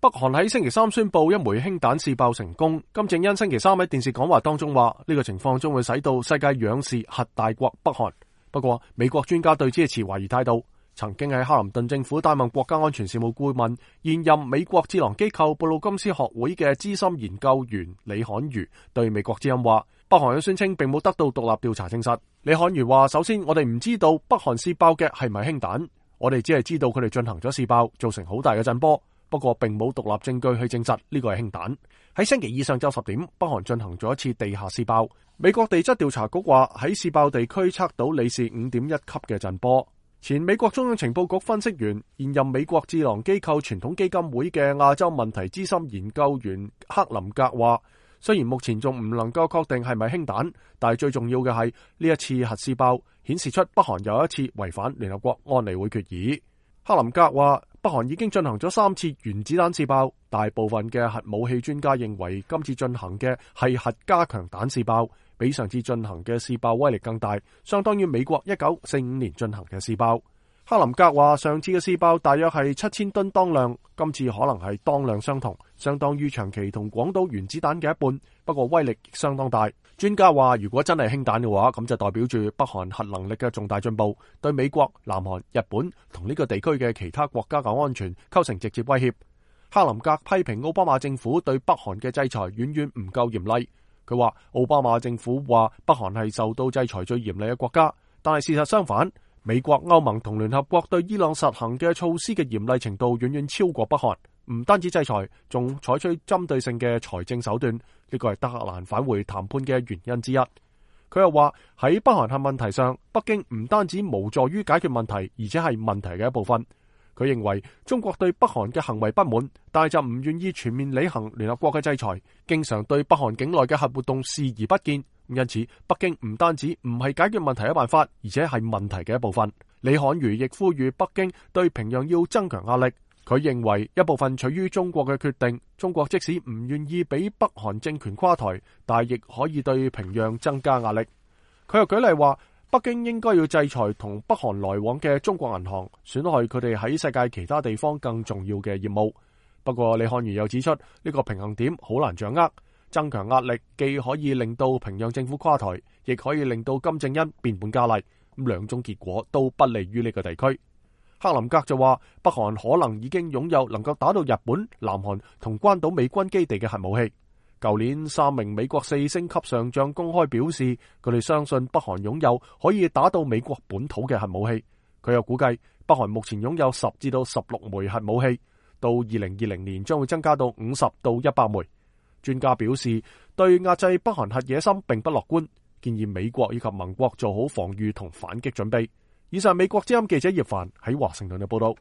北韓喺星期三宣布一枚氫彈試爆成功。金正恩星期三喺電視講話當中話，呢個情況將會使到世界仰視核大國北韓。不過，美國專家對此持懷疑態度。曾經喺克林頓政府擔任國家安全事務顧問、現任美國智囊機構布魯金斯學會嘅資深研究員李侃如對美國之音話，北韓嘅宣稱並冇得到獨立調查證實。李侃如話，首先我哋唔知道北韓試爆嘅係咪氫彈，我哋只係知道佢哋進行咗試爆，造成好大嘅震波。不過並冇獨立證據去證實呢個係氫彈。喺星期二上晝10點，北韓進行咗一次地下試爆。美國地質調查局話喺試爆地區測到里氏5.1級嘅震波。前美國中央情報局分析員、現任美國智囊機構傳統基金會嘅亞洲問題資深研究員克林格話，雖然目前仲唔能夠確定係咪氫彈，但係最重要嘅係呢一次核試爆顯示出北韓又一次違反聯合國安理會決議。克林格話，北韓已經進行咗3次原子彈試爆，大部分嘅核武器專家認為今次進行嘅係核加強彈試爆，比上次進行嘅試爆威力更大，相當於美國1945年進行嘅試爆。克林格話，上次嘅試爆大約係7000噸當量，今次可能係當量相同，相當於長崎同廣島原子彈嘅一半，不過威力亦相當大。專家話，如果真係氫彈嘅話，咁就代表住北韓核能力嘅重大進步，對美國、南韓、日本同呢個地區嘅其他國家嘅安全構成直接威脅。克林格批評奧巴馬政府對北韓嘅制裁遠遠唔夠嚴厲。佢話奧巴馬政府話北韓係受到制裁最嚴厲嘅國家，但係事實相反，美國、歐盟同聯合國對伊朗實行嘅措施嘅嚴厲程度遠遠超過北韓，唔單止制裁，仲採取針對性嘅財政手段，呢個係德黑蘭返回談判嘅原因之一。佢又話喺北韓核問題上，北京唔單止無助於解決問題，而且係問題嘅一部分。佢認為中國對北韓嘅行為不滿，但係就唔願意全面履行聯合國嘅制裁，經常對北韓境內嘅核活動視而不見。因此，北京唔單止唔係解決問題嘅辦法，而且係問題嘅一部分。李侃如亦呼籲北京對平壤要增強壓力。佢認為一部分取於中國嘅決定，中國即使唔願意俾北韓政權垮台，但係亦可以對平壤增加壓力。佢又舉例話，北京應該要制裁同北韓來往嘅中國銀行，損害佢哋喺世界其他地方更重要嘅業務。不過李侃如又指出，呢個平衡點好難掌握，增強壓力既可以令到平壤政府垮台，亦可以令到金正恩變本加厲，兩種結果都不利於呢個地區。克林格就話，北韓可能已經擁有能夠打到日本、南韓同關島美軍基地嘅核武器。舊年3名美國4星級上將公開表示，佢哋相信北韓擁有可以打到美國本土嘅核武器。佢又估計北韓目前擁有10至到16枚核武器，到2020年將會增加到50到100枚。專家表示，對壓制北韓核野心並不樂觀，建議美國以及盟國做好防禦同反擊準備。以上美國之音記者葉凡喺華盛頓嘅報道。